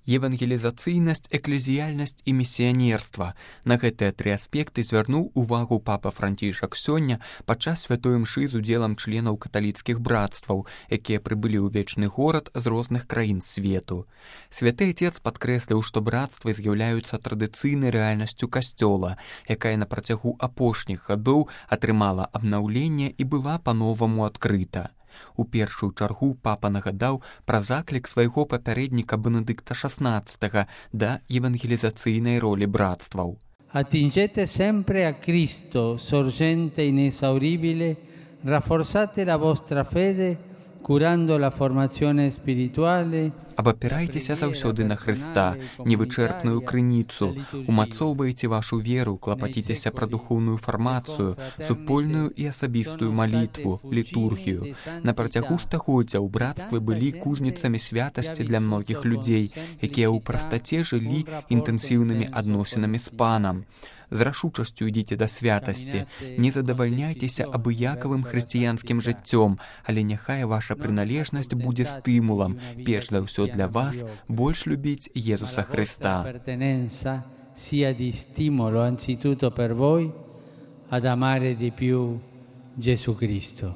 Евангелізацыйнасць, эклезіяльнасць і місіянерства. На гэтыя тры аспекты звярнуў увагу папа Францішак сёння падчас святой імшы з удзелам членаў каталіцкіх братстваў, якія прыбылі ў вечны горад з розных краін свету. Святы Отец падкрэсліў, што братствы з'яўляюцца традыцыйнай рэальнасцю касцёла, якая на працягу апошніх гадоў атрымала абнаўленне і была па-новаму адкрыта. У першую чаргу папа нагадаў пра заклік свайго папярэдніка Бенедыкта XVI да евангелізацыйнай ролі братстваў. Attingete sempre a Cristo, sorgente inesauribile, rafforzate la vostra fede, curando la formazione spirituale. Абапірайцеся заўсёды на Хрыста, невычэрпную крыніцу, умацоўвайце вашу веру, клапаціцеся пра духоўную фармацыю, супольную і асабістую малітву, літургію. На працягу стагоддзяў братствы былі кузніцамі святасці для многіх людзей, якія ў прастаце жылі інтэнсіўнымі адносінамі з Панам. З рашучасцю ідзіце да святасці, не задавальняйцеся абыякавым хрысціянскім жыццём, але няхай ваша прыналежнасць будзе стымулам, перш за ўсё для вас, больш любіць Езуса Хрыста. Sia di stimolo anzitutto per voi ad amare di più Gesù Cristo.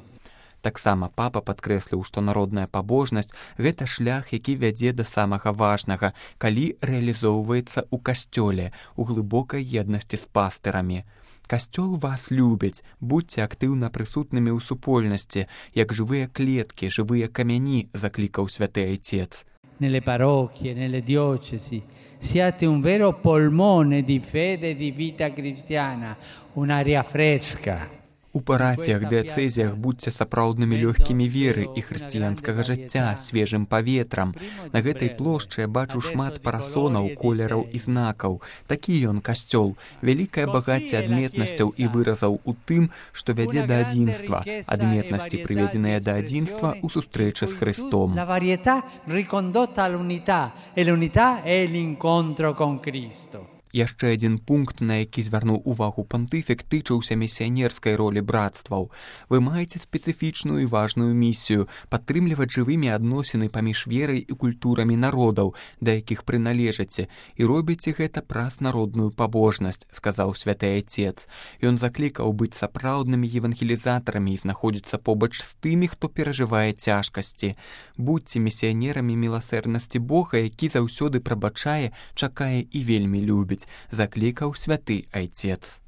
Таксама папа падкрэсліў, што народная пабожнасць – гэта шлях, які вядзе да самага важнага, калі рэалізоўваецца ў касцёле, у глыбокай еднасці з пастырамі. Касцёл вас любіць, будьце актыўна прысутнымі ў супольнасці, як жывыя клеткі, жывыя камяні, заклікаў святы Отец. Nelle parrocchie, nelle diocesi, siate un vero polmone di fede e di vita cristiana, un'aria fresca. У парафіях, дыяцэзіях будьце сапраўднымі лёгкімі веры і хрысціянскага жыцця, свежым паветрам. На гэтай плошчы я бачу шмат парасонаў, колераў і знакаў. Такі ён касцёл, вялікае багацце адметнасцяў і выразаў у тым, што вядзе да адзінства, адметнасці, прыведзеныя да адзінства ў сустрэчы з Хрыстом. La varietà ricondotta all'unità, e l'unità è l'incontro con Cristo. Яшчэ адзін пункт, на які звярнуў увагу пантыфік, тычыўся місіянерскай ролі братстваў. Вы маеце спецыфічную і важную місію падтрымліваць жывымі адносіны паміж верай і культурамі народаў, да якіх прыналежыце, і робіце гэта праз народную пабожнасць, сказаў святы Отец. Ён заклікаў быць сапраўднымі евангелізатарамі і знаходзіцца побач з тымі, хто перажывае цяжкасці. Будьце місіянерамі міласэрнасці Бога, які заўсёды прабачае, чакае і вельмі любіць, заклікаў святы Отец.